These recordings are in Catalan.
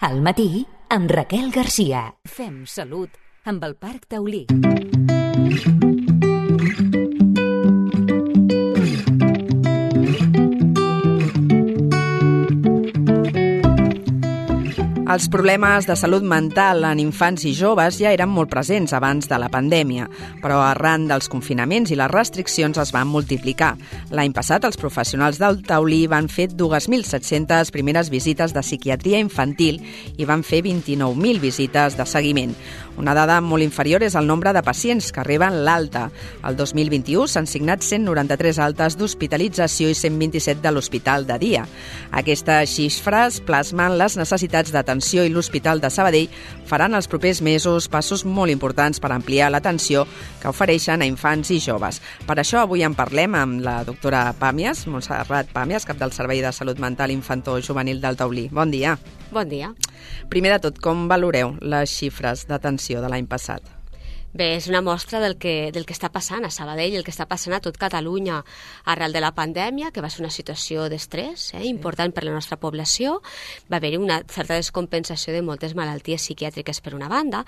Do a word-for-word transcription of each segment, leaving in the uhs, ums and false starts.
Al matí, amb Raquel Garcia. Fem salut amb el Parc Taulí. Els problemes de salut mental en infants i joves ja eren molt presents abans de la pandèmia, però arran dels confinaments i les restriccions es van multiplicar. L'any passat, els professionals del Taulí van fer dos mil set-centes primeres visites de psiquiatria infantil i van fer vint-i-nou mil visites de seguiment. Una dada molt inferior és el nombre de pacients que reben l'alta. El dos mil vint-i-u s'han signat cent noranta-tres altes d'hospitalització i cent vint-i-set de l'hospital de dia. Aquestes xifres plasmen les necessitats d'atenció i l'Hospital de Sabadell faran els propers mesos passos molt importants per ampliar l'atenció que ofereixen a infants i joves. Per això avui en parlem amb la doctora Pàmies, Montserrat Pàmies, cap del Servei de Salut Mental Infantil-Juvenil del Taulí. Bon dia. Bon dia. Primer de tot, com valoreu les xifres d'atenció de l'any passat? Bé, és una mostra del que, del que està passant a Sabadell, el que està passant a tot Catalunya arrel de la pandèmia, que va ser una situació d'estrès eh, important per la nostra població. Va haver-hi una certa descompensació de moltes malalties psiquiàtriques per una banda,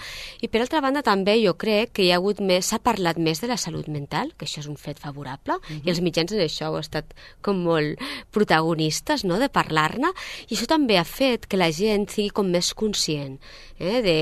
i per altra banda també jo crec que hi ha hagut més, s'ha parlat més de la salut mental, que això és un fet favorable, uh-huh. i els mitjans en això heu estat com molt protagonistes, no?, de parlar-ne, i això també ha fet que la gent sigui com més conscient eh, de,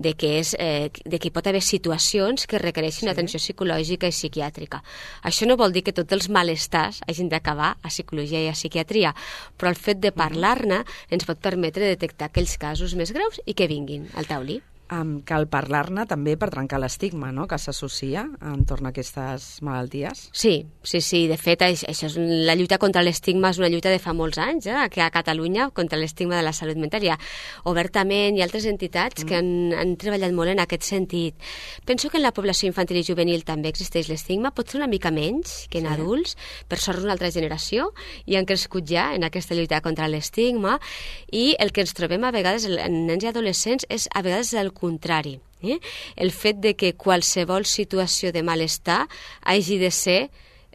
de, que és, eh, de que hi pot haver situacions que requereixin sí. atenció psicològica i psiquiàtrica. Això no vol dir que tots els malestars hagin d'acabar a psicologia i a psiquiatria, però el fet de parlar-ne ens pot permetre detectar aquells casos més greus i que vinguin al Taulí. Um, cal parlar-ne també per trencar l'estigma, no?, que s'associa entorn a aquestes malalties. Sí, sí, sí. De fet, això és la lluita contra l'estigma és una lluita de fa molts anys, eh, que a Catalunya, contra l'estigma de la salut mental. Hi ha Obertament i altres entitats mm. que han, han treballat molt en aquest sentit. Penso que en la població infantil i juvenil també existeix l'estigma, pot ser una mica menys que en sí. adults, per sort una altra generació, i han crescut ja en aquesta lluita contra l'estigma, i el que ens trobem a vegades en nens i adolescents és a vegades el contrari. Eh? El fet de que qualsevol situació de malestar hagi de ser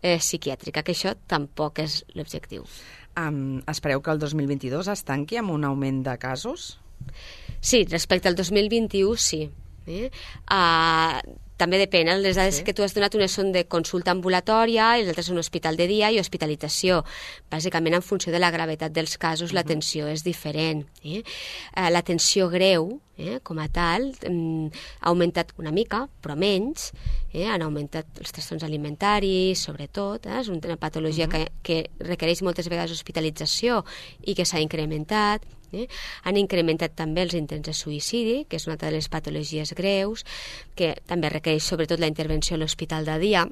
eh, psiquiàtrica, que això tampoc és l'objectiu. Um, espereu que el dos mil vint-i-dos es tanqui amb un augment de casos? Sí, respecte al dos mil vint-i-u, sí. Eh? Uh, també depèn, eh? Les dades sí. que tu has donat, unes són de consulta ambulatòria i les altres són hospital de dia i hospitalització. Bàsicament, en funció de la gravetat dels casos, uh-huh. l'atenció és diferent. Eh? Uh, l'atenció greu, eh, com a tal, um, ha augmentat una mica, però menys. Eh? Han augmentat els trastorns alimentaris, sobretot. Eh? És una patologia uh-huh. que, que requereix moltes vegades hospitalització i que s'ha incrementat. Eh? Han incrementat també els intents de suïcidi, que és una de les patologies greus, que també requereix sobretot la intervenció a l'hospital de dia,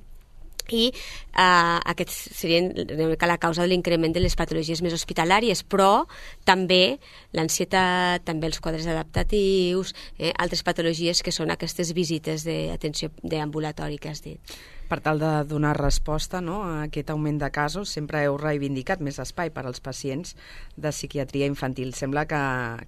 i eh, aquest seria la causa de l'increment de les patologies més hospitalàries, però també l'ansietat, també els quadres adaptatius, eh, altres patologies que són aquestes visites d'atenció d'ambulatori que has dit. Per tal de donar resposta, no, a aquest augment de casos, sempre heu reivindicat més espai per als pacients de psiquiatria infantil. Sembla que,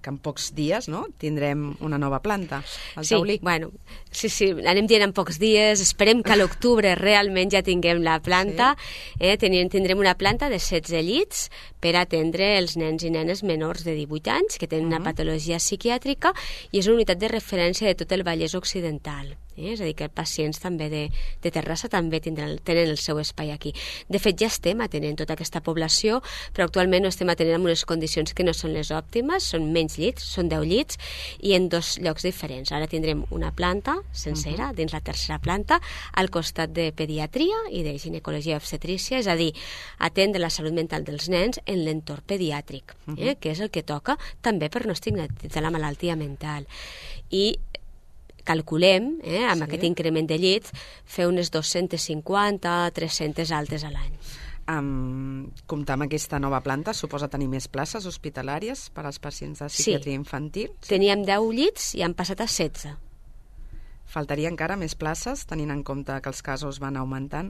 que en pocs dies, no?, tindrem una nova planta al sí, Taulí. Bueno, sí, sí, anem dient en pocs dies. Esperem que a l'octubre realment ja tinguem la planta. Sí. Eh, tindrem una planta de setze llits per atendre els nens i nenes menors de divuit anys que tenen uh-huh. una patologia psiquiàtrica, i és una unitat de referència de tot el Vallès Occidental. Eh? És a dir, que els pacients també de, de Terrassa també tindran, tenen el seu espai aquí. De fet, ja estem atenent tota aquesta població, però actualment no estem atenent en unes condicions que no són les òptimes, són menys llits, són deu llits, i en dos llocs diferents. Ara tindrem una planta sencera, uh-huh. dins la tercera planta, al costat de pediatria i de ginecologia i obstetrícia, és a dir, atendre la salut mental dels nens en l'entorn pediàtric, uh-huh. eh? que és el que toca també per no estigmatitzar la malaltia mental. I calculem, eh, amb sí. aquest increment de llits, fer unes dos-centes cinquanta a tres-centes altes a l'any. Um, comptar amb aquesta nova planta suposa tenir més places hospitalàries per als pacients de psiquiatria sí. infantil? Sí, teníem deu llits i han passat a setze. Faltaria encara més places, tenint en compte que els casos van augmentant?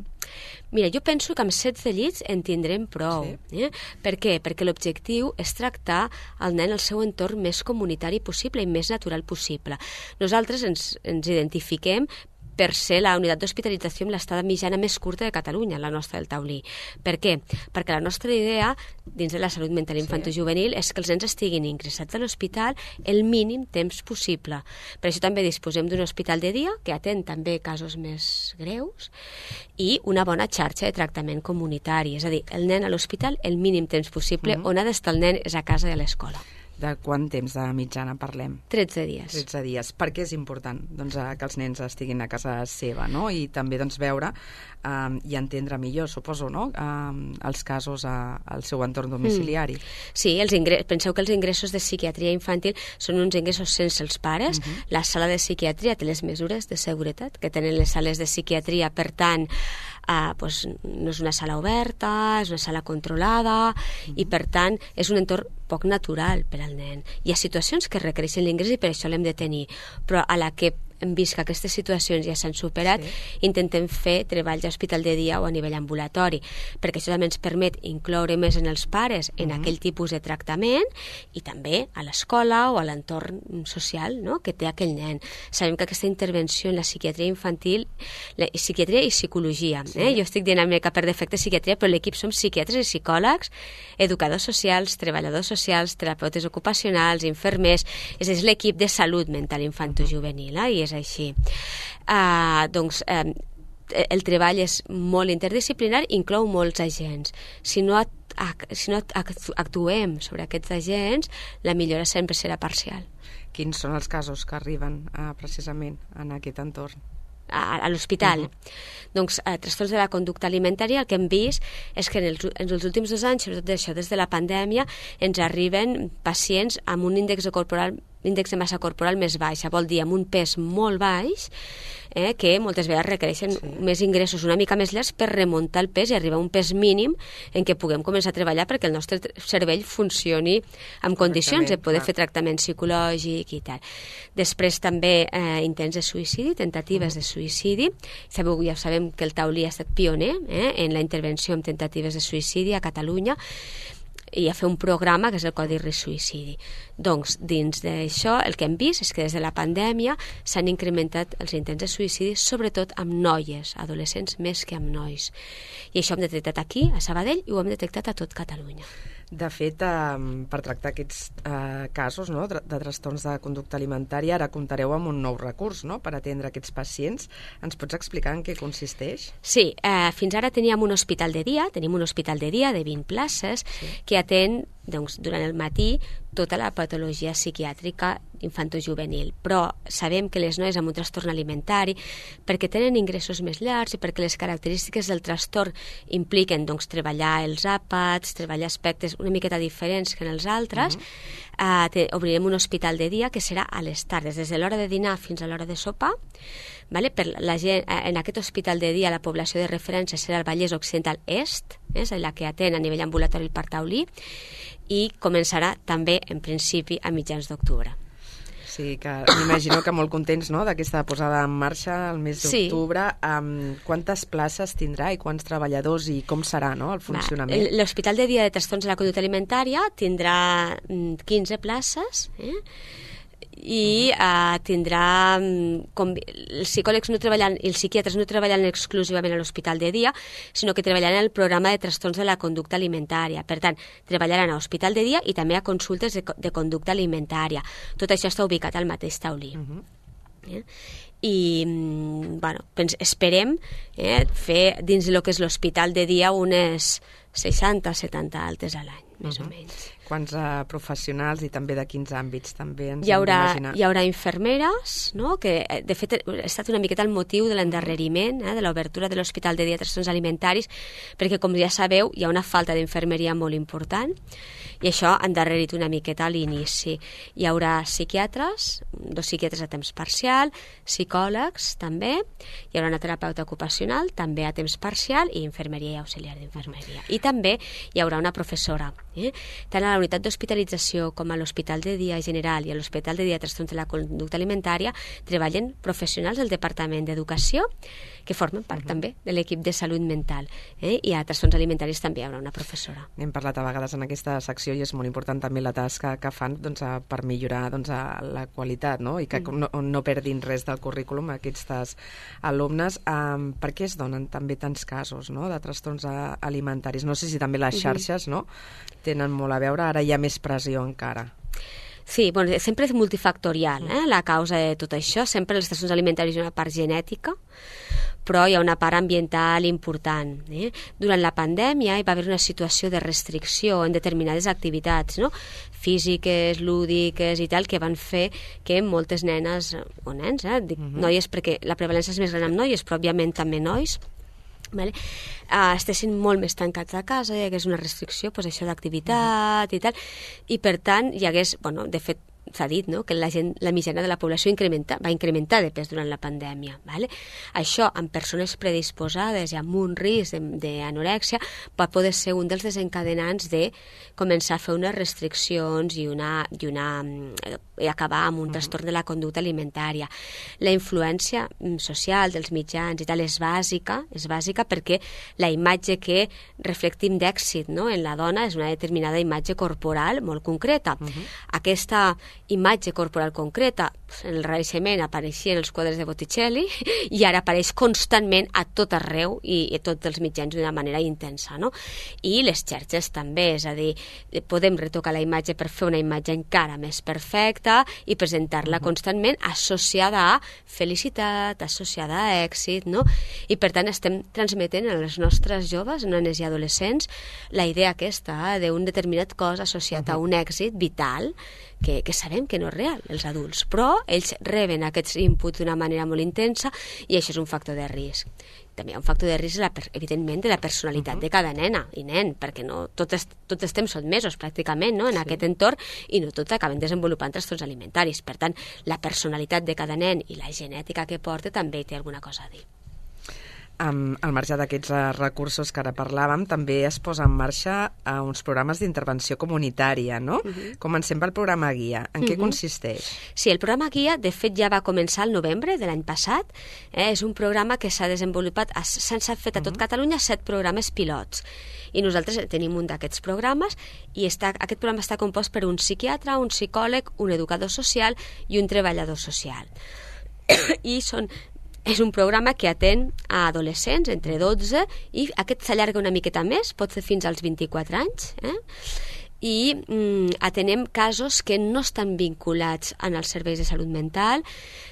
Mira, jo penso que amb setze llits en tindrem prou. Sí. Eh? Per què? Perquè l'objectiu és tractar el nen al seu entorn més comunitari possible i més natural possible. Nosaltres ens, ens identifiquem per ser la unitat d'hospitalització amb l'estada mitjana més curta de Catalunya, la nostra del Taulí. Per què? Perquè la nostra idea, dins de la salut mental infantojuvenil, és que els nens estiguin ingressats a l'hospital el mínim temps possible. Per això també disposem d'un hospital de dia, que atén també casos més greus, i una bona xarxa de tractament comunitari. És a dir, el nen a l'hospital el mínim temps possible, mm-hmm. on ha d'estar el nen és a casa i a l'escola. De quant temps de mitjana parlem? tretze dies. tretze dies. Per què és important doncs, que els nens estiguin a casa seva, no? I també doncs, veure um, i entendre millor, suposo, no? um, els casos a, al seu entorn domiciliari. Mm. Sí, els ingressos, penseu que els ingressos de psiquiatria infantil són uns ingressos sense els pares. Mm-hmm. La sala de psiquiatria té les mesures de seguretat que tenen les sales de psiquiatria, per tant, Uh, pues, no és una sala oberta, és una sala controlada, mm-hmm. i per tant és un entorn poc natural per al nen. Hi ha situacions que requereixen l'ingrés i per això l'hem de tenir, però a la que hem vist que aquestes situacions ja s'han superat, sí. intentem fer treballs a hospital de dia o a nivell ambulatori, perquè això també ens permet incloure més en els pares en mm-hmm. aquell tipus de tractament i també a l'escola o a l'entorn social, no?, que té aquell nen. Sabem que aquesta intervenció en la psiquiatria infantil, la psiquiatria i psicologia, sí. eh? jo estic dient una mica per defecte psiquiatria, però l'equip som psiquiatres i psicòlegs, educadors socials, treballadors socials, terapeutes ocupacionals, infermers, és, és l'equip de salut mental infantojuvenil, eh? i és així. Uh, doncs uh, el treball és molt interdisciplinari, inclou molts agents. Si no, si no actuem sobre aquests agents, la millora sempre serà parcial. Quins són els casos que arriben uh, precisament en aquest entorn? a, a l'hospital. Uh-huh. Doncs a trastorns de la conducta alimentària el que hem vist és que en els, en els últims dos anys, sobretot això des de la pandèmia, ens arriben pacients amb un índex corporal l'índex de massa corporal més baixa, vol dir amb un pes molt baix, eh, que moltes vegades requereixen sí. més ingressos una mica més llargs per remuntar el pes i arribar a un pes mínim en què puguem començar a treballar perquè el nostre cervell funcioni en condicions de poder clar. fer tractament psicològic i tal. Després també eh, intents de suïcidi, tentatives uh-huh. de suïcidi. Sabeu, ja sabem que el Taulí ha estat pioner eh, en la intervenció en tentatives de suïcidi a Catalunya, i a fer un programa que és el Codi Risc Suïcidi. Doncs, dins d'això, el que hem vist és que des de la pandèmia s'han incrementat els intents de suïcidi, sobretot amb noies, adolescents, més que amb nois. I això ho hem detectat aquí, a Sabadell, i ho hem detectat a tot Catalunya. De fet, eh, per tractar aquests eh, casos no, de, de trastorns de conducta alimentària, ara comptareu amb un nou recurs no, per atendre aquests pacients. Ens pots explicar en què consisteix? Sí, eh, fins ara teníem un hospital de dia, tenim un hospital de dia de vint places sí. que atén doncs, durant el matí tota la patologia psiquiàtrica infantojuvenil, però sabem que les noies amb un trastorn alimentari, perquè tenen ingressos més llargs i perquè les característiques del trastorn impliquen doncs, treballar els àpats, treballar aspectes una miqueta diferents que en els altres, uh-huh. eh, te, obrirem un hospital de dia que serà a les tardes, des de l'hora de dinar fins a l'hora de sopar. Vale? Per la gent, en aquest hospital de dia la població de referència serà el Vallès Occidental Est, és la que atén a nivell ambulatori el Parc Taulí, i començarà també, en principi, a mitjans d'octubre. Sí, que m'imagino que molt contents no, d'aquesta posada en marxa el mes d'octubre. Sí. Um, quantes places tindrà i quants treballadors i com serà no, el funcionament? Va, l'Hospital de Dia de Trastorns de la Conducta Alimentària tindrà quinze places, eh? i uh, tindrà com, els psicòlegs no treballant i els psiquiatres no treballant exclusivament a l'hospital de dia, sinó que treballaran en el programa de trastorns de la conducta alimentària. Per tant, treballaran a l'hospital de dia i també a consultes de, de conducta alimentària. Tot això està ubicat al mateix Taulí. Uh-huh. eh? I bueno, pens, esperem eh, fer dins del que és l'hospital de dia unes seixanta setanta altes a l'any, més uh-huh. o menys. Quants uh, professionals i també de quins àmbits també ens hi haurà, hem d'imaginar? Hi haurà infermeres, no? Que de fet ha estat una miqueta el motiu de l'endarreriment, eh, de l'obertura de l'Hospital de Dia de Trastorns Alimentaris, perquè com ja sabeu hi ha una falta d'infermeria molt important i això ha endarrerit una miqueta a l'inici. Hi haurà psiquiatres, dos psiquiatres a temps parcial, psicòlegs també, hi haurà una terapeuta ocupacional també a temps parcial i infermeria i auxiliar d'infermeria. I també hi haurà una professora. Eh? Tant a a la unitat d'hospitalització com a l'Hospital de Dia General i a l'Hospital de Dia de Trastorns de la Conducta Alimentària treballen professionals del Departament d'Educació que formen part uh -huh. també de l'equip de salut mental. Eh? I a trastorns alimentaris també hi haurà una professora. Hem parlat a vegades en aquesta secció i és molt important també la tasca que fan doncs, a, per millorar doncs, a la qualitat, no? I que uh -huh. no, no perdin res del currículum aquests alumnes. Um, per què es donen també tants casos, no?, de trastorns alimentaris? No sé si també les xarxes, no?, tenen molt a veure, ara hi ha més pressió encara. Sí, bueno, sempre és multifactorial, eh, la causa de tot això. Sempre els trastorns alimentaris hi ha una part genètica, però hi ha una part ambiental important. Eh? Durant la pandèmia hi va haver una situació de restricció en determinades activitats, no?, físiques, lúdiques i tal, que van fer que moltes nenes, o nens, eh, dic uh-huh. noies perquè la prevalència és més gran amb noies, però òbviament també nois, vale? Uh, estessin molt més tancats a casa, hi hagués una restricció, pues, això d'activitat uh-huh. i tal, i per tant hi hagués, bueno, de fet s'ha dit, no?, que la, gent, la mitjana de la població incrementa, va incrementar de pes durant la pandèmia. Vale? Això, amb persones predisposades i amb un risc d'anorèxia, pot poder ser un dels desencadenants de començar a fer unes restriccions i, una, i, una, i acabar amb un uh-huh. trastorn de la conducta alimentària. La influència social dels mitjans i tal és bàsica, és bàsica perquè la imatge que reflectim d'èxit, no?, en la dona és una determinada imatge corporal molt concreta. Uh-huh. Aquesta imatge corporal concreta, en el Renaixement apareixien els quadres de Botticelli i ara apareix constantment a tot arreu i a tots els mitjans d'una manera intensa, no? I les xarxes també, és a dir, podem retocar la imatge per fer una imatge encara més perfecta i presentar-la uh-huh. constantment associada a felicitat, associada a èxit, no? I per tant estem transmetent a les nostres joves, nenes i adolescents, la idea aquesta d'un determinat cos associat uh-huh. a un èxit vital que, que sabem que no és real, els adults, però ells reben aquests inputs d'una manera molt intensa i això és un factor de risc. També hi ha un factor de risc, la, evidentment, de la personalitat uh-huh. de cada nena i nen, perquè no tots, tots estem sotmesos pràcticament, no?, en sí. aquest entorn i no tots acaben desenvolupant trastorns alimentaris. Per tant, la personalitat de cada nen i la genètica que porta també hi té alguna cosa a dir. Um, al marge d'aquests uh, recursos que ara parlàvem, també es posa en marxa uh, uns programes d'intervenció comunitària, no? Uh-huh. Comencem pel programa Guia. En uh-huh. què consisteix? Sí, el programa Guia, de fet, ja va començar el novembre de l'any passat. Eh? És un programa que s'ha desenvolupat, s'han fet a tot uh-huh. Catalunya set programes pilots. I nosaltres tenim un d'aquests programes i està, aquest programa està compost per un psiquiatre, un psicòleg, un educador social i un treballador social. I són... És un programa que atén a adolescents entre dotze i aquest s'allarga una miqueta més, pot ser fins als vint-i-quatre anys, eh? I mm, atenem casos que no estan vinculats en els serveis de salut mental,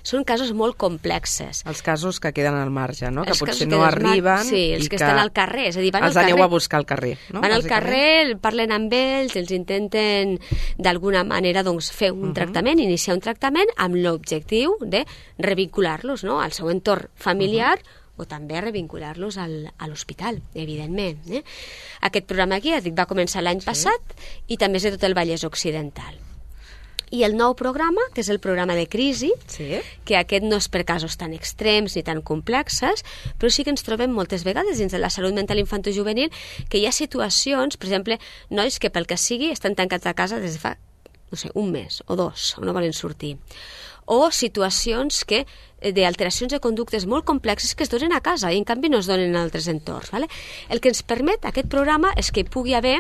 són casos molt complexes. Els casos que queden al marge, no? Que els potser no arriben. Sí, els que, que estan al carrer, és a dir, van els al carrer. aneu a buscar al carrer, no? Van al carrer, parlen amb ells, els intenten d'alguna manera doncs, fer un uh-huh. tractament, iniciar un tractament amb l'objectiu de revincular-los, no?, al seu entorn familiar uh-huh. o també revincular-los al, a l'hospital, evidentment. Eh? Aquest programa aquí, dic, va començar l'any sí. passat i també és de tot el Vallès Occidental. I el nou programa, que és el programa de crisi, sí. que aquest no és per casos tan extrems ni tan complexes, però sí que ens trobem moltes vegades dins de la salut mental infantojuvenil que hi ha situacions, per exemple, nois que pel que sigui estan tancats a casa des de fa, no sé, un mes o dos, o no volen sortir. O situacions que d'alteracions de conductes molt complexes que es donen a casa i en canvi no es donen en altres entorns. Vale? El que ens permet aquest programa és que hi pugui haver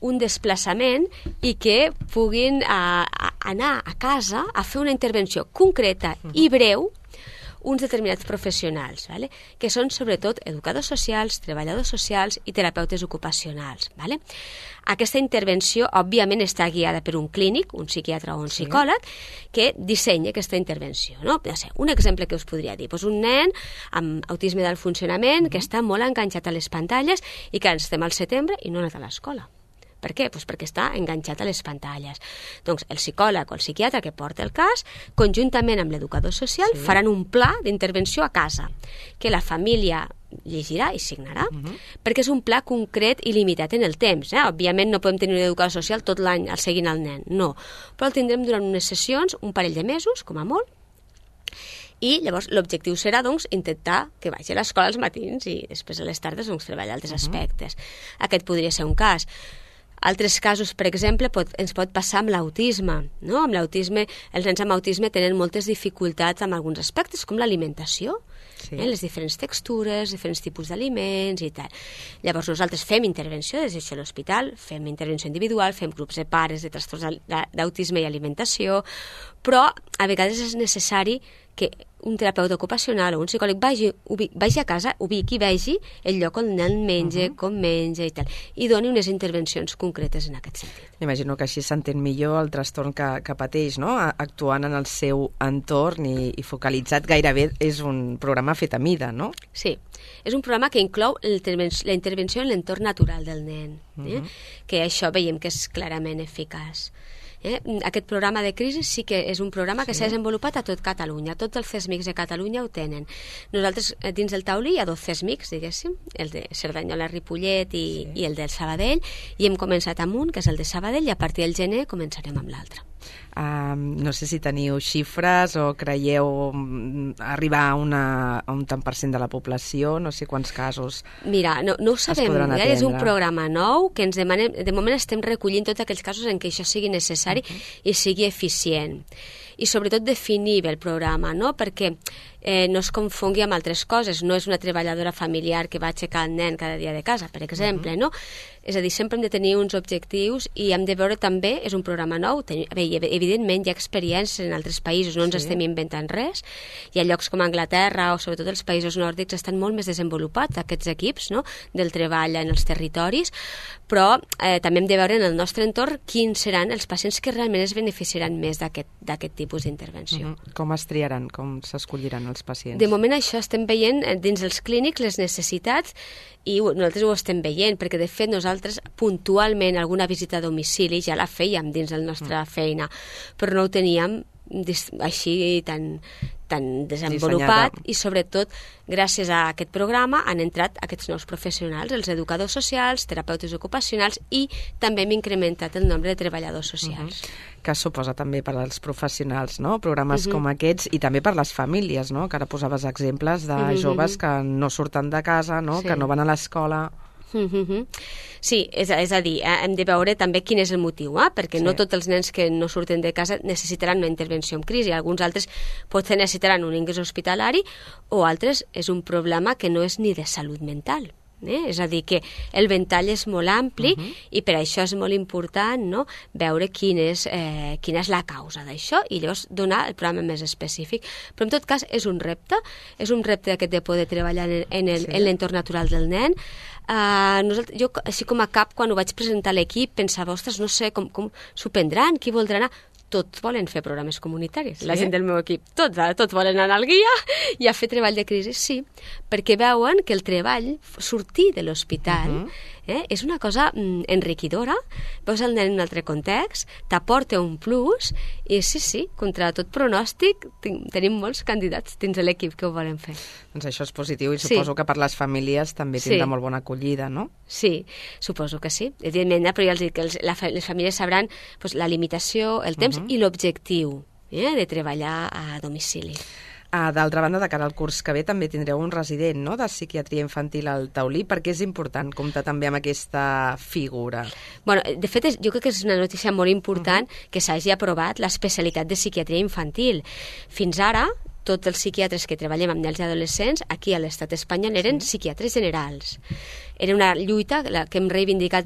un desplaçament i que puguin a, a anar a casa a fer una intervenció concreta i breu uns determinats professionals, vale? Que són sobretot educadors socials, treballadors socials i terapeutes ocupacionals. Vale? Aquesta intervenció, òbviament, està guiada per un clínic, un psiquiatre o un sí. psicòleg, que dissenya aquesta intervenció. No? Un exemple que us podria dir, doncs un nen amb autisme del funcionament que està molt enganxat a les pantalles i que estem al setembre i no ha anat a l'escola. Per què? Pues perquè està enganxat a les pantalles. Doncs el psicòleg o el psiquiatre que porta el cas, conjuntament amb l'educador social, sí. faran un pla d'intervenció a casa, que la família llegirà i signarà, uh-huh. perquè és un pla concret i limitat en el temps. Eh? Òbviament no podem tenir un educador social tot l'any al seguint el nen, no. Però el tindrem durant unes sessions, un parell de mesos, com a molt, i llavors l'objectiu serà doncs, intentar que vagi a l'escola als matins i després a les tardes doncs, treballar altres uh-huh. aspectes. Aquest podria ser un cas. Altres casos, per exemple, pot, ens pot passar amb l'autisme. No? Amb l'autisme, els nens amb autisme tenen moltes dificultats amb alguns aspectes, com l'alimentació, sí. eh? les diferents textures, diferents tipus d'aliments i tal. Llavors nosaltres fem intervenció des d'això a l'hospital, fem intervenció individual, fem grups de pares de trastorns d'autisme i alimentació, però a vegades és necessari que un terapeuta ocupacional o un psicòleg vagi, vagi a casa, ubiqui, vegi el lloc on el nen menja, uh -huh. com menja i tal, i doni unes intervencions concretes en aquest sentit. M'imagino que així s'entén millor el trastorn que, que pateix, no? Actuant en el seu entorn i, i focalitzat. Gairebé és un programa fet a mida, no? Sí, és un programa que inclou el, la intervenció en l'entorn natural del nen, eh? uh -huh. que això veiem que és clarament eficaç. Eh? Aquest programa de crisi sí que és un programa que s'ha sí. desenvolupat a tot Catalunya. Tots els C E S M I Cs de Catalunya ho tenen. Nosaltres, dins del taulí, hi ha dos C E S M I Cs, diguéssim, el de Cerdanyola, Ripollet i, sí. i el del Sabadell, i hem començat amb un, que és el de Sabadell, i a partir del gener començarem amb l'altre. Uh, no sé si teniu xifres o creieu arribar a, una, a un tant per cent de la població, no sé quants casos. Mira, no, no ho sabem, eh? És un programa nou que ens demanem, de moment estem recollint tots aquells casos en què això sigui necessari uh-huh. i sigui eficient. I sobretot definir bé el programa, no? Perquè eh, no es confongui amb altres coses. No és una treballadora familiar que va aixecar el nen cada dia de casa, per exemple, uh-huh. no? És a dir, sempre hem de tenir uns objectius i hem de veure també, és un programa nou, ten, bé, evidentment hi ha experiències en altres països, no ens sí. estem inventant res. Hi ha llocs com Anglaterra o sobretot els països nòrdics estan molt més desenvolupats aquests equips, no? Del treball en els territoris, però eh, també hem de veure en el nostre entorn quins seran els pacients que realment es beneficiaran més d'aquest tipus d'intervenció. Uh-huh. Com es triaran, com s'escolliran els pacients? De moment això estem veient dins els clínics les necessitats i nosaltres ho estem veient, perquè de fet nosaltres puntualment alguna visita a domicili ja la fèiem dins de la nostra uh-huh. feina, però no ho teníem així tan, tan desenvolupat dissenyada. I sobretot gràcies a aquest programa han entrat aquests nous professionals, els educadors socials, terapeutes ocupacionals i també hem incrementat el nombre de treballadors socials. Uh-huh. Que suposa també per als professionals, no? Programes uh-huh. com aquests i també per les famílies, no? Que ara posaves exemples de uh-huh. joves que no surten de casa, no? Sí. Que no van a l'escola. Mm-hmm. Sí, és, és a dir, eh, hem de veure també quin és el motiu, eh? Perquè sí. no tots els nens que no surten de casa necessitaran una intervenció en crisi, alguns altres potser necessitaran un ingrés hospitalari o altres és un problema que no és ni de salut mental. Eh? És a dir, que el ventall és molt ampli uh-huh. i per això és molt important, no? Veure quin és, eh, quina és la causa d'això i llavors donar el programa més específic. Però en tot cas és un repte, és un repte aquest de poder treballar en, en, el, sí. en l'entorn natural del nen. Uh, nosaltres, jo, així com a cap, quan ho vaig presentar a l'equip, pensava, ostres, no sé com, com s'ho prendran, qui voldrà anar? Tots volen fer programes comunitaris, sí? La gent del meu equip, tots, tots volen anar al guia i a fer treball de crisi, sí, perquè veuen que el treball, sortir de l'hospital, uh-huh. eh, és una cosa mm, enriquidora, veus el nen en un altre context, t'aporta un plus, i sí, sí, contra tot pronòstic, ten- tenim molts candidats dins de l'equip que ho volen fer. Doncs això és positiu i suposo sí. que per les famílies també tindrà sí. molt bona acollida, no? Sí, suposo que sí. Evidentment, però ja els dic que els, la, les famílies sabran pues, la limitació, el temps uh-huh. i l'objectiu eh, de treballar a domicili. Ah, d'altra banda, de cara al curs que ve també tindreu un resident, no?, de psiquiatria infantil al taulí, perquè és important comptar també amb aquesta figura. Bueno, de fet, és, jo crec que és una notícia molt important uh-huh. que s'hagi aprovat l'especialitat de psiquiatria infantil. Fins ara, tots els psiquiatres que treballem amb nens i adolescents aquí a l'estat espanyol eren sí. psiquiatres generals. Era una lluita que hem reivindicat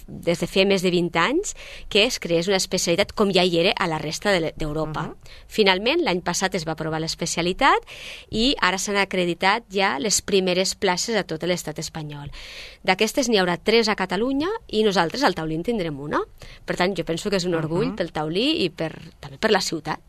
des de fa més de vint anys, que es creés una especialitat com ja hi era a la resta d'Europa. Uh-huh. Finalment, l'any passat es va aprovar l'especialitat i ara s'han acreditat ja les primeres places a tot l'estat espanyol. D'aquestes n'hi haurà tres a Catalunya i nosaltres al Taulí en tindrem una. Per tant, jo penso que és un orgull uh-huh. pel Taulí i per, també per la ciutat,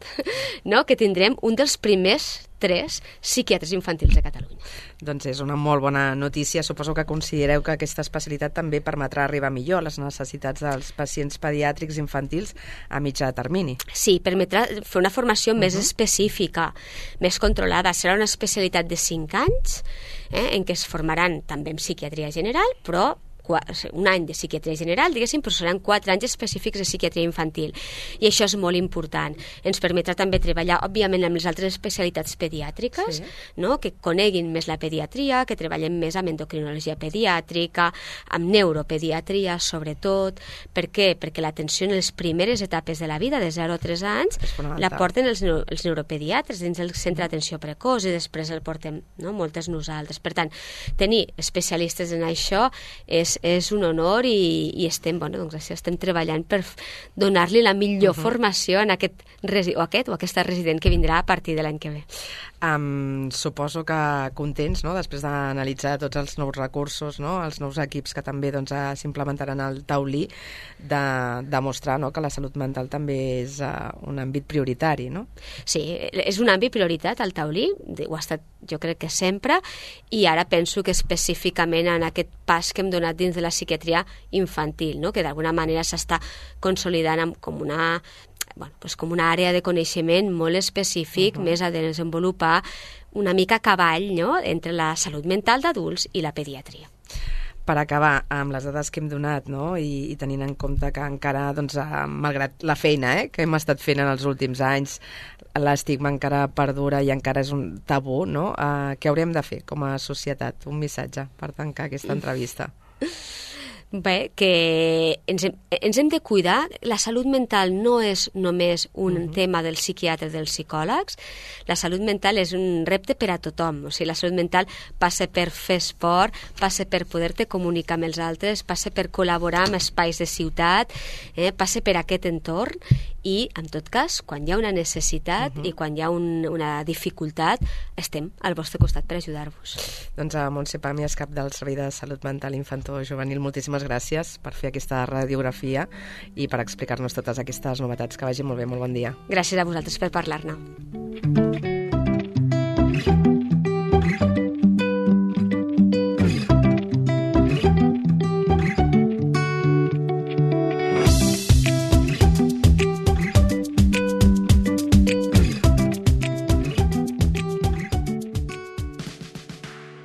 no? Que tindrem un dels primers tres psiquiatres infantils de Catalunya. Doncs és una molt bona notícia. Suposo que considereu que aquesta especialitat també permetrà arribar millor a les necessitats dels pacients pediàtrics infantils a mitjà termini. Sí, permetrà fer una formació uh-huh. més específica, més controlada. Serà una especialitat de cinc anys, eh, en què es formaran també en psiquiatria general, però un any de psiquiatria general, diguéssim, però seran quatre anys específics de psiquiatria infantil. I això és molt important. Ens permetrà també treballar, òbviament, amb les altres especialitats pediàtriques, sí. no? Que coneguin més la pediatria, que treballem més amb endocrinologia pediàtrica, amb neuropediatria, sobretot. Per què? Perquè l'atenció en les primeres etapes de la vida, de zero a tres anys, la porten els, neuro, els neuropediatres dins del centre d'atenció precoç i després el portem, no? Moltes nosaltres. Per tant, tenir especialistes en això és, és un honor i, i estem, bueno, doncs, estem treballant per donar-li la millor uh-huh. formació en aquest, o aquest o aquesta resident que vindrà a partir de l'any que ve. Um, suposo que contents, no?, després d'analitzar tots els nous recursos, no?, els nous equips que també doncs, s'implementaran al taulí, de demostrar, no?, que la salut mental també és uh, un àmbit prioritari, no? Sí, és un àmbit prioritat al taulí, ho ha estat jo crec que sempre, i ara penso que específicament en aquest pas que hem donat dins de la psiquiatria infantil, no?, que d'alguna manera s'està consolidant com una... Bueno, pues com una àrea de coneixement molt específic, uh-huh. més a desenvolupar una mica a cavall, no?, entre la salut mental d'adults i la pediatria. Per acabar, amb les dades que hem donat, no?, i, i tenint en compte que encara, doncs, malgrat la feina eh, que hem estat fent en els últims anys, l'estigma encara perdura i encara és un tabú, no?, uh, què haurem de fer com a societat? Un missatge per tancar aquesta entrevista. Bé, que ens hem, ens hem de cuidar. La salut mental no és només un uh-huh. tema dels psiquiatres, dels psicòlegs. La salut mental és un repte per a tothom. O sigui, la salut mental passa per fer esport, passa per poder-te comunicar amb els altres, passa per col·laborar amb espais de ciutat, eh, passa per aquest entorn i, en tot cas, quan hi ha una necessitat uh-huh. i quan hi ha un, una dificultat, estem al vostre costat per ajudar-vos. Doncs a Montse Pàmies, cap del Servei de Salut Mental Infantil-Juvenil, moltíssimes gràcies per fer aquesta radiografia i per explicar-nos totes aquestes novetats. Que vagi molt bé, molt bon dia. Gràcies a vosaltres per parlar-ne.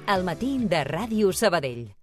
Al matí de Ràdio Sabadell.